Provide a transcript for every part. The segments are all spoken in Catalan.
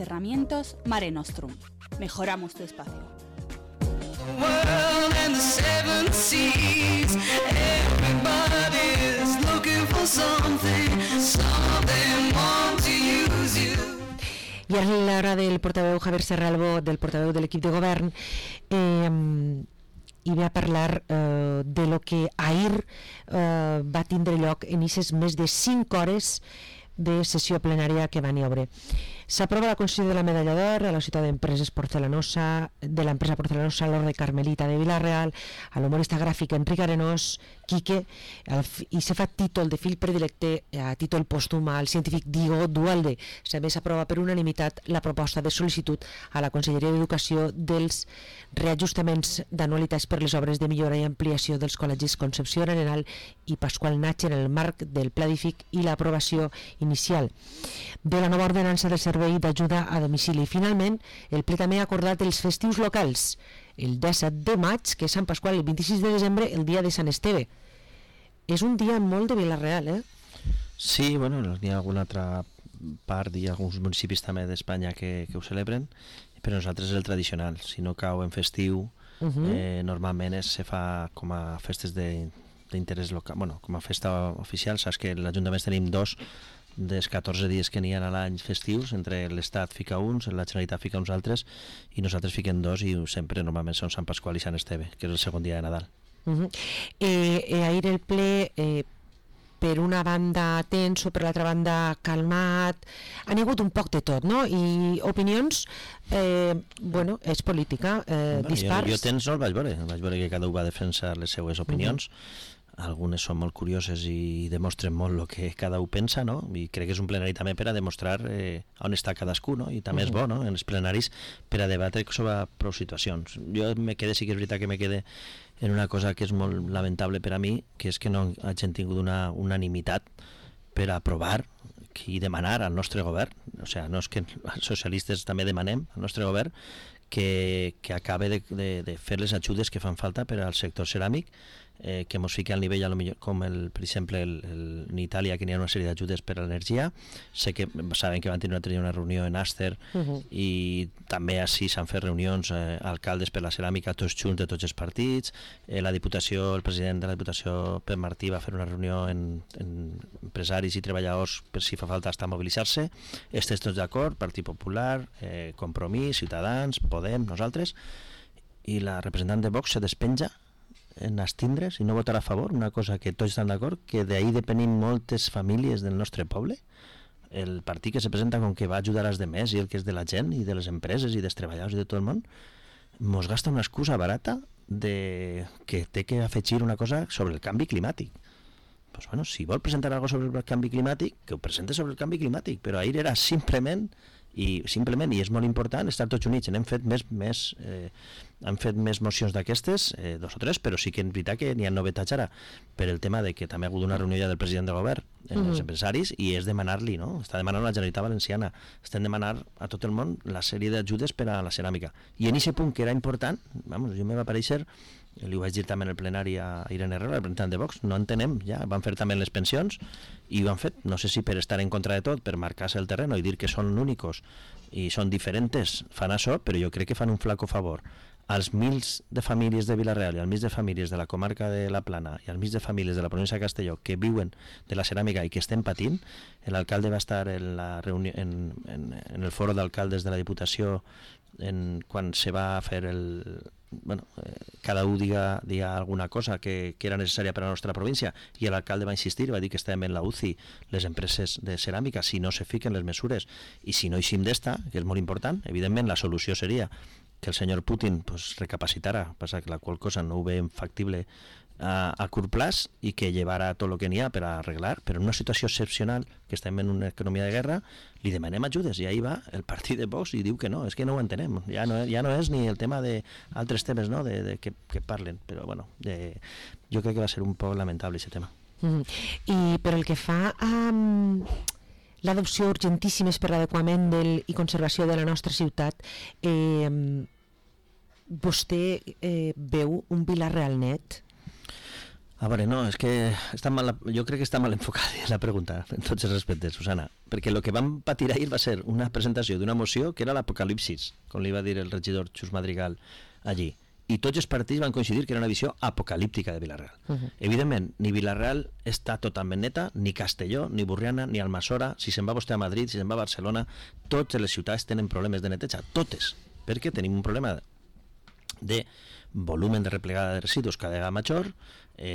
Cerramientos Mare Nostrum. Mejoramos tu espacio. I a l'hora del portaveu Javier Serralbo, del portaveu de l'equip de govern, i ve a parlar de lo que ahir va tindre lloc en aquestes més de 5 hores de sessió plenària que van i obre. S'aprova la concessió de la medalla d'or a la ciutat d'empreses porcelanosa, de l'empresa porcelanosa l'Orde Carmelita de Vila-real, a l'humorista gràfic Enric Arenós, Quique, i se fa títol de fill predilecte a títol pòstum al científic Diego Dualde. També s'aprova per unanimitat la proposta de sol·licitud a la Conselleria d'Educació dels reajustaments d'anualitats per les obres de millora i ampliació dels col·legis Concepció Arenal i Pasqual Natge en el marc del Pla d'IFIC i l'aprovació inicial de la nova ordenança de servei d'ajuda a domicili. Finalment, el ple també ha acordat els festius locals, el 17 de maig, que és Sant Pasqual, el 26 de desembre, el dia de Sant Esteve. És un dia molt de Vila-real, eh? Sí, bueno, n'hi ha alguna altra part, hi ha alguns municipis també d'Espanya que ho celebren, però nosaltres és el tradicional. Si no cau en festiu, normalment se fa com a festes d'interès local, bueno, com a festa oficial. Saps que l'Ajuntament tenim 2 dels 14 dies que n'hi ha a l'any festius, entre l'Estat fica uns, la Generalitat fica uns altres, i nosaltres fiquem 2, i sempre normalment són Sant Pasqual i Sant Esteve, que és el segon dia de Nadal. Ahir el ple, per una banda tenso, per l'altra banda calmat, han hagut un poc de tot, no? I opinions, bueno, és política, dispars. Jo tens no el vaig veure que cada un va defensar les seues opinions. Algunes són molt curioses i demostren molt el que cada un pensa, no? I crec que és un plenari també per a demostrar on està cadascú, no? I també és bo, no?, en els plenaris per a debatre sobre prou situacions. Jo sí que és veritat que me quede en una cosa que és molt lamentable per a mi, que és que no hagin tingut una unanimitat per a aprovar i demanar al nostre govern, o sigui, no és que els socialistes també demanem al nostre govern que acabe de fer les ajudes que fan falta per al sector ceràmic, que ens fiqui al nivell, com per exemple en Itàlia, que n'hi ha una sèrie d'ajudes per a l'energia. Saben que van tenir una reunió en Aster, i també així s'han fet reunions alcaldes per la ceràmica, tots junts de tots els partits. La Diputació, el president de la Diputació, Pep Martí, va fer una reunió en empresaris i treballadors per si fa falta estar a mobilitzar-se. Estem tots d'acord, Partit Popular, Compromís, Ciutadans, Podem, nosaltres, i la representant de Vox se despenja en abstindre's i no votar a favor, una cosa que tots estan d'acord, que d'ahir depenim moltes famílies del nostre poble. El partit que se presenta com que va ajudar als demés i el que és de la gent i de les empreses i dels treballadors i de tot el món, mos gasta una excusa barata de que té que afegir una cosa sobre el canvi climàtic. Pues bueno, si vol presentar alguna cosa sobre el canvi climàtic, que ho presente sobre el canvi climàtic, però ahir era simplement, i és molt important, estar tots units. Hem fet més mocions d'aquestes, 2 o 3, però sí que és veritat que n'hi ha novetats ara, per el tema de que també ha hagut una reunió del president del govern amb els empresaris, i és demanar-li, no? Està demanant la Generalitat Valenciana, estem demanant a tot el món la sèrie d'ajudes per a la ceràmica. I en aquest punt que era important, jo me va aparèixer, li ho vaig dir també en el plenari a Irene Herrera, el representant de Vox, no entenem, ja van fer també les pensions, i ho han fet, no sé si per estar en contra de tot, per marcar-se el terreno i dir que són únicos i són diferents, fan això, però jo crec que fan un flaco favor als mils de famílies de Vila-real i als mils de famílies de la comarca de la Plana i als mils de famílies de la província de Castelló que viuen de la ceràmica i que estem patint. L'alcalde va estar en la reunió, en el foro d'alcaldes de la Diputació, quan se va fer cada un diga alguna cosa que era necessària per a la nostra província, i l'alcalde va insistir, va dir que estàvem en la UCI les empreses de ceràmica si no se fiquen les mesures, i si no eixim d'esta, que és molt important. Evidentment la solució seria que el senyor Putin recapacitara, passa que la qual cosa no ho veiem factible a curt plaç, i que llevara tot el que n'hi ha per arreglar, però en una situació excepcional, que estem en una economia de guerra, li demanem ajudes, i ahí va el partit de Vox i diu que no, és que no ho entenem, ja no és ni el tema d'altres temes, no?, de que parlen, però bueno, jo crec que va ser un poc lamentable aquest tema. I per el que fa a l'adopció urgentíssimes per l'adequament i conservació de la nostra ciutat, vostè veu un Vila-real net? A veure, no, és que jo crec que està mal enfocada la pregunta, en tots els respectes, Susana, perquè el que vam patir ahir va ser una presentació d'una moció que era l'apocalipsis, com li va dir el regidor Xus Madrigal allí, i tots els partits van coincidir que era una visió apocalíptica de Vila-real. Evidentment, ni Vila-real està totalment neta, ni Castelló, ni Burriana, ni Almassora, si se'n va vostè a Madrid, si se'n va a Barcelona, totes les ciutats tenen problemes de neteja, totes, perquè tenim un problema de volumen de replegada de residus cada vegada major.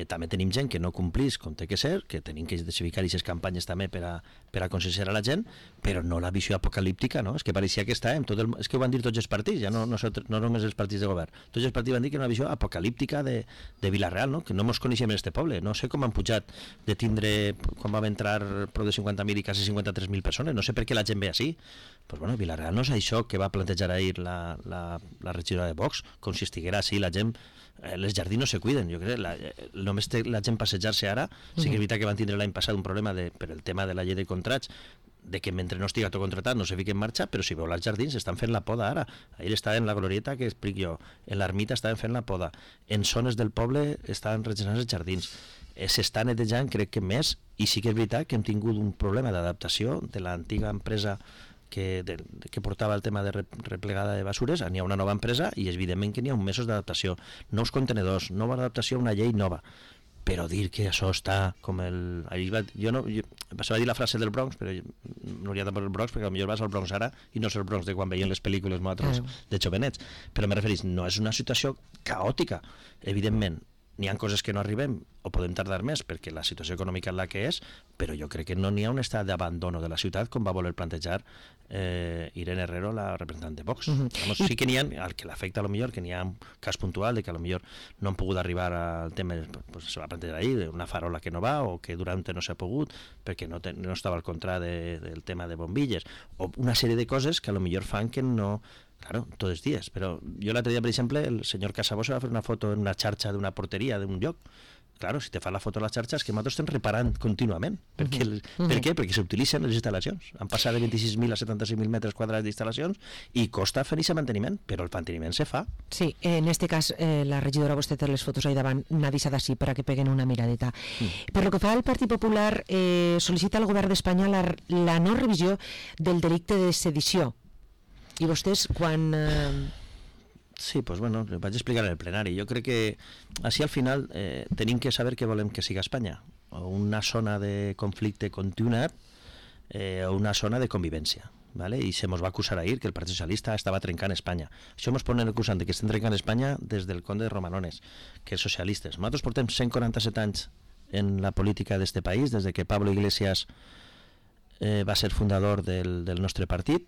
També tenim gent que no complís com té que ser, que tenim que identificar aquestes campanyes també per a conscienciar a la gent, però no la visió apocalíptica, no? És que pareixia que estàvem, és que ho van dir tots els partits, ja no només els partits de govern, tots els partits van dir que era una visió apocalíptica de Vila-real, no? Que no ens coneixem en este poble, no sé com han pujat de tindre, quan vam entrar prou de 50.000 i quasi 53.000 persones, no sé per què la gent ve així. Pues bueno, Vila-real no és això que va plantejar ahir la regidora de Vox, com si estiguera així la gent. Les jardins no se cuiden, jo crec, només té la gent passejar-se ara. Sí que és veritat que van tindre l'any passat un problema per el tema de la llei de contrats, de que mentre no estigui tot contratat no se fiqui en marxa, però si veu els jardins estan fent la poda ara. Ahir estava en la glorieta que explico jo, en l'ermita estaven fent la poda, en zones del poble estaven regenerant els jardins, s'està netejant crec que més, i sí que és veritat que hem tingut un problema d'adaptació de l'antiga empresa que portava el tema de replegada de basures. N'hi ha una nova empresa i evidentment que n'hi ha uns mesos d'adaptació, nous contenedors, nova adaptació a una llei nova, però dir que això està com el... se va dir la frase del Bronx, però no hauria de posar el Bronx, perquè potser vas al Bronx ara i no és el Bronx de quan veien les pel·lícules nosaltres de jovenets, però me referís, no és una situació caòtica, evidentment. N'hi ha coses que no arribem o podem tardar més perquè la situació econòmica és la que és, però jo crec que no n'hi ha un estat d'abandono de la ciutat com va voler plantejar Irene Herrero, la representant de Vox. Sí que n'hi ha, el que l'afecta a lo millor, que n'hi ha un cas puntual de que a lo millor no han pogut arribar al tema, pues, se va plantejar ahir, una farola que no va o que durant no s'ha pogut perquè no estava al contrari del tema de bombilles, o una sèrie de coses que a lo millor fan que no... Claro, tots els dies, però jo l'altre dia, per exemple, el senyor Casabó se va fer una foto en una xarxa d'una porteria d'un lloc. Claro, si te fa la foto a la xarxa és que nosaltres estem reparant contínuament. Per què? Perquè s'utilitzen les instal·lacions. Han passat de 26.000 a 75.000 metres quadrats d'instal·lacions i costa fer aquest manteniment, però el manteniment se fa. Sí, en este cas la regidora, vostè té les fotos ahí davant, n'ha deixat així per a que peguen una miradeta. Per lo que fa al Partit Popular, sol·licita al govern d'Espanya la no revisió del delicte de sedició. I vostès, quan... Sí, pues bueno, vaig explicar en el plenari. Jo crec que així al final tenim que saber què volem que siga Espanya. O una zona de conflicte continuat o una zona de convivència. ¿Vale? I se mos va acusar ahir que el Partit Socialista estava trencant Espanya. Això mos ponen acusant de que estem trencant Espanya des del conde de Romanones, que és socialistes. Nosaltres portem 147 anys en la política d'este país, des de que Pablo Iglesias va ser fundador del nostre partit,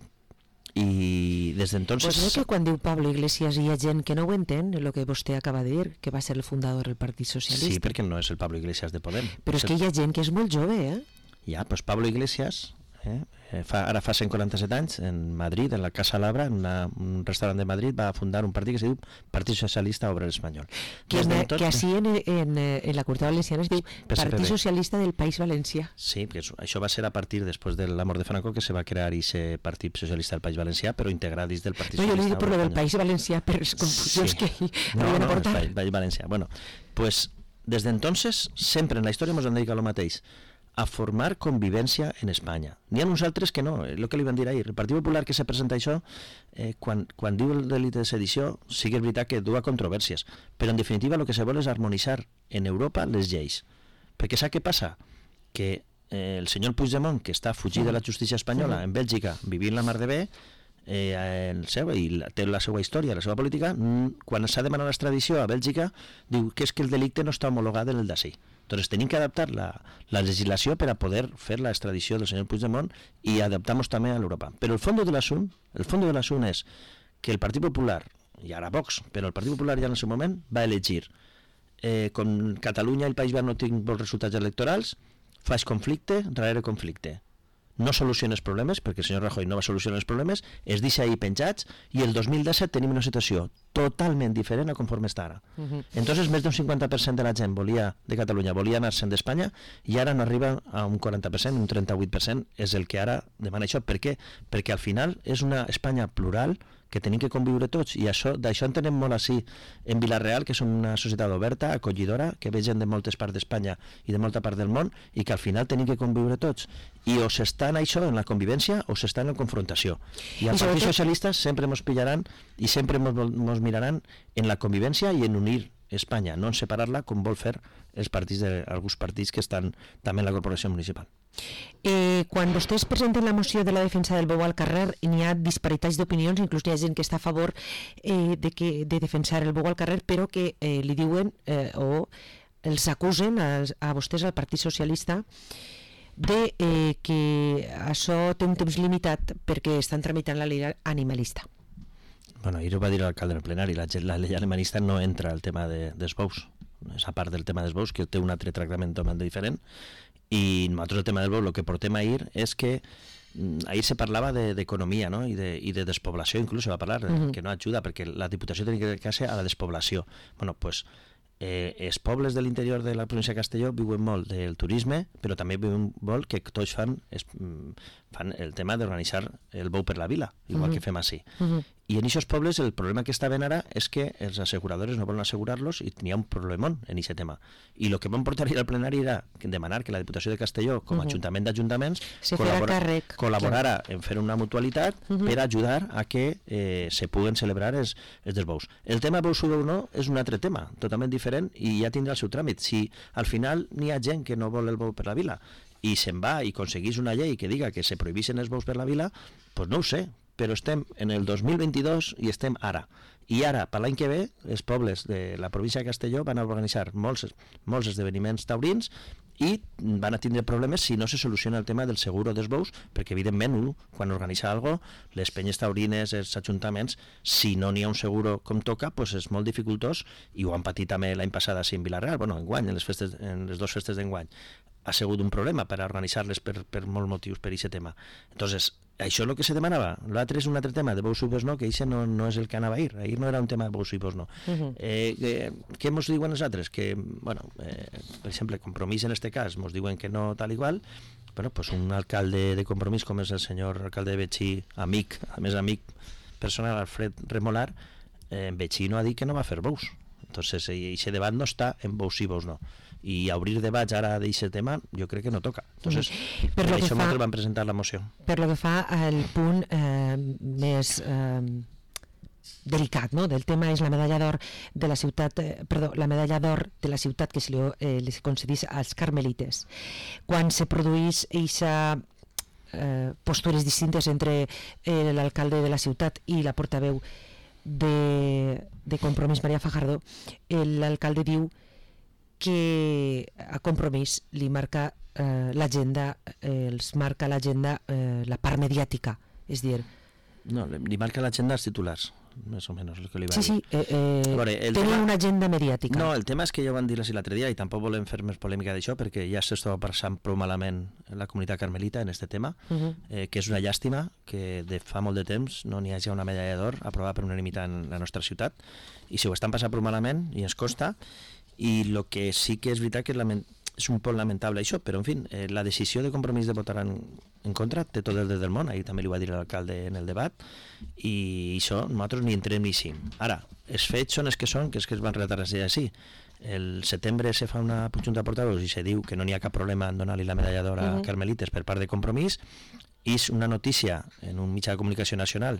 i des d'entonces... Pues no que quan diu Pablo Iglesias hi ha gent que no ho entén, el que vostè acaba de dir, que va ser el fundador del Partit Socialista. Sí, perquè no és el Pablo Iglesias de Podem. Però és que hi ha gent que és molt jove, Ja, doncs Pablo Iglesias ara fa 147 anys en Madrid, en la Casa Labra, en un restaurant de Madrid, va fundar un partit que se diu Partit Socialista Obrer Espanyol. Que així en la Curta Valenciana es diu Partit Socialista del País Valencià. Sí, que això va ser a partir després de la mort de Franco que se va crear aquest Partit Socialista del País Valencià, però integrat dins del Partit Socialista. Jo li dic per lo del País Valencià, per les confusions que havien a portar. No, País Valencià. Bueno, pues des d'entonces, sempre en la història ens han dedicat el mateix, a formar convivència en Espanya. N'hi ha uns altres que no, el que li van dir ahir. El Partit Popular que se presenta això, quan diu el delicte de sedició, sí que és veritat que du a controvèrsies, però en definitiva el que se vol és harmonitzar en Europa les lleis. Perquè sap què passa? Que el senyor Puigdemont, que està fugit de la justícia espanyola en Bèlgica, vivint la mar de bé, i té la seva història, la seva política, quan s'ha demanat l'extradició a Bèlgica, diu que és que el delicte no està homologat en el d'ací. Entonces tenim que adaptar la legislació per a poder fer la extradició del senyor Puigdemont i adaptar-nos també a l'Europa. Però el fons de l'assumpte és que el Partit Popular, i ara Vox, però el Partit Popular ja en el seu moment va elegir, com Catalunya i el País Basc no tinc bons resultats electorals, faig conflicte darrere conflicte. No soluciona els problemes, perquè el senyor Rajoy no va solucionar els problemes, es deixa ahir penjats, i el 2017 tenim una situació totalment diferent a conforme està ara. Entonces, més d'un 50% de la gent de Catalunya volia anar-se'n d'Espanya i ara no arriba a un 40%, un 38% és el que ara demana això. Per què? Perquè al final és una Espanya plural que tenim que conviure tots, i d'això entenem molt així en Vila-real, que som una societat oberta, acollidora, que ve gent de moltes parts d'Espanya i de molta part del món, i que al final tenim que conviure tots, i o s'està en això, en la convivència, o s'està en la confrontació, i els partits socialistes sempre ens pillaran i sempre ens miraran en la convivència i en unir Espanya, no en separar-la com vol fer alguns partits que estan també en la corporació municipal. Quan vostès presenten la moció de la defensa del bou al carrer, n'hi ha disparitats d'opinions, inclús hi ha gent que està a favor de defensar el bou al carrer, però que li diuen o els acusen a vostès, al Partit Socialista, de que això té un temps limitat perquè estan tramitant la llei animalista. Bueno, ahir ho va dir l'alcalde en el plenari, la llei animalista no entra al tema dels bous, és a part del tema dels bous, que té un altre tractament totalment diferent, i nosaltres el tema del bou, el que portem ahir és que ahir se parlava d'economia, no? I de despoblació, inclús se va parlar, que no ajuda, perquè la Diputació tenia que dedicar-se a la despoblació. Bueno, doncs els pobles de l'interior de la província de Castelló viuen molt del turisme, però també viuen molt que tots fan el tema d'organitzar el bou per la vila, igual que fem així. I en aquests pobles el problema que està ben ara és que els asseguradores no volen assegurar-los i n'hi ha un problemón en aquest tema. I el que vam portar al plenari era demanar que la Diputació de Castelló, com a ajuntament d'ajuntaments, col·laborara en fer una mutualitat per ajudar a que se puguen celebrar els dels bous. El tema bous o bou no és un altre tema, totalment diferent, i ja tindrà el seu tràmit. Si al final n'hi ha gent que no vol el bou per la vila i se'n va i aconseguís una llei que diga que se prohibissin els bous per la vila, doncs no ho sé, però estem en el 2022 i estem ara. I ara, per l'any que ve, els pobles de la província de Castelló van a organitzar molts esdeveniments taurins i van a tindre problemes si no se soluciona el tema del seguro dels bous, perquè evidentment quan organitza alguna cosa, les penyes taurines, els ajuntaments, si no n'hi ha un seguro com toca, doncs és molt dificultós, i ho han patit també l'any passat a Vila-real, enguany, en les dues festes d'enguany ha sigut un problema per organitzar-les per molts motius per aquest tema. Entonces, això és el que se demanava. L'altre és un altre tema de bous i bous no, que això no és el que anava ahir. Ahir no era un tema de bous i bous no. Què ens diuen els altres? Que, per exemple, Compromís en aquest cas ens diuen que no tal igual, però pues un alcalde de Compromís com és el senyor alcalde de Betxí, amic, a més amic personal, Alfred Remolar, en Betxí no ha dit que no va fer bous. Entonces, aquest debat no està en bous i bous no. I obrir debats ara d'aquest tema jo crec que no toca. Entonces, per això nosaltres vam presentar la moció. Per lo que fa al punt més delicat, no? Del tema és la medalla d'or de la ciutat, la medalla d'or de la ciutat que se li concedís als carmelites. Quan se produís eixa postures distintes entre l'alcalde de la ciutat i la portaveu de Compromís, Maria Fajardo, l'alcalde diu que a Compromís li marca l'agenda, els marca l'agenda la part mediàtica, és dir... No, li marca l'agenda als titulars, més o menys el que li va dir. Sí, tenen una agenda mediàtica. No, el tema és que ja ho van dir l'altre dia i tampoc volem fer més polèmica d'això perquè ja s'estava passant prou malament la comunitat carmelita en aquest tema, que és una llàstima que de fa molt de temps no n'hi hagi una medalla d'or aprovada per unanimitat en la nostra ciutat, i si ho estan passant prou malament i ens costa. I el que sí que és veritat que és un poc lamentable això, però en fi, la decisió de Compromís de votar en contra té tot el dret del món, ahir també li va dir l'alcalde en el debat, i això nosaltres ni entrem ni sim. Ara, els fets són els que són, que és que es van relatar així. El setembre se fa una junta de portaveus i se diu que no n'hi ha cap problema en donar-li la medalla d'or a Carmelites per part de Compromís, i és una notícia en un mitjà de comunicació nacional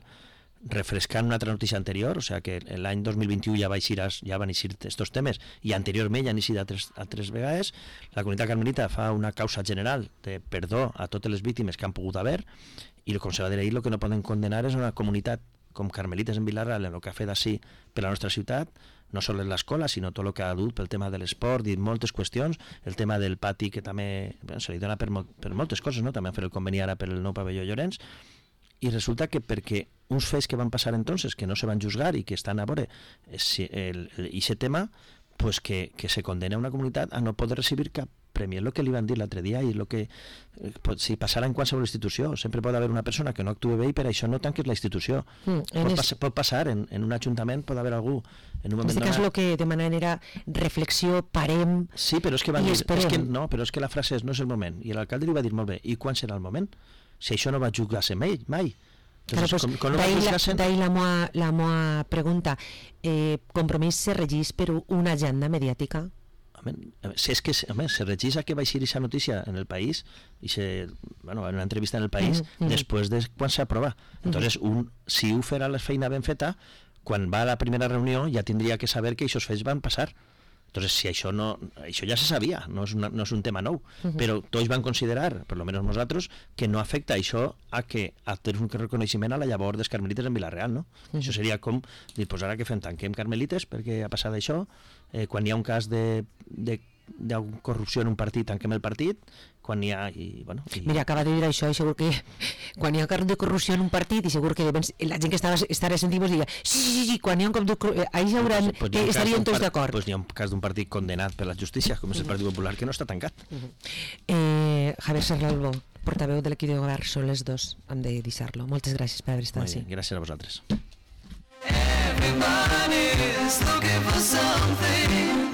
refrescant una altra notícia anterior, o sigui que l'any 2021 ja van eixir aquests temes i anteriorment ja han eixit altres vegades. La comunitat carmelita fa una causa general de perdó a totes les víctimes que han pogut haver, i com se va dir ahir, el que no poden condenar és una comunitat com Carmelites en Vila-real, en el que ha fet així per la nostra ciutat, no sols l'escola, sinó tot el que ha dut pel tema de l'esport i moltes qüestions, el tema del pati que també se li dona per moltes coses, no? També han fet el conveni ara per el nou pavelló Llorenç, i resulta que perquè uns fets que van passar entonces, que no se van juzgar i que estan a veure aquest tema, pues que se condena una comunitat a no poder recibir cap premien el que li van dir l'altre dia i el que si passarà en qualsevol institució. Sempre pot haver una persona que no actua bé i per això no tanques la institució. Pot passar, en un ajuntament pot haver algú en un moment donat. En aquest cas el que demanen era reflexió, parem sí, però és que van i dir, esperem. No, però és que la frase és no és el moment. I l'alcalde li va dir molt bé, i quan serà el moment? Si això no va jugar-se mai. Entonces, claro, d'ahí la meva pregunta. Compromís se regís per una agenda mediàtica? Si és que se regís a que va eixir aquesta notícia en el país i en una entrevista en el país després de quan s'aprova. Entonces, si ho farà la feina ben feta, quan va a la primera reunió ja tindria que saber que aquests fets van passar. Entonces, si això ja se sabia, no és un tema nou, però tots van considerar, per almenys nosaltres, que no afecta això a que tenir un reconeixement a la llavor dels carmelites en Vila-real, no? Això seria com dir, pues ara que fem, tanquem carmelites perquè ha passat això, quan hi ha un cas de corrupció en un partit, tanquem el partit, quan hi ha... Mira, acaba de dir això i segur que quan hi ha un cas de corrupció en un partit i segur que la gent que estarà sentint diria sí, quan hi ha un cop de corrupció ahí estarien tots d'acord. Doncs hi ha un cas d'un partit condenat per la justícia, com és el Partit Popular, que no està tancat. Javier Serralbo, portaveu de l'equip de govern, són les 2, hem de deixar-lo. Moltes gràcies per haver estat així. Gràcies a vosaltres. Everybody's looking for something.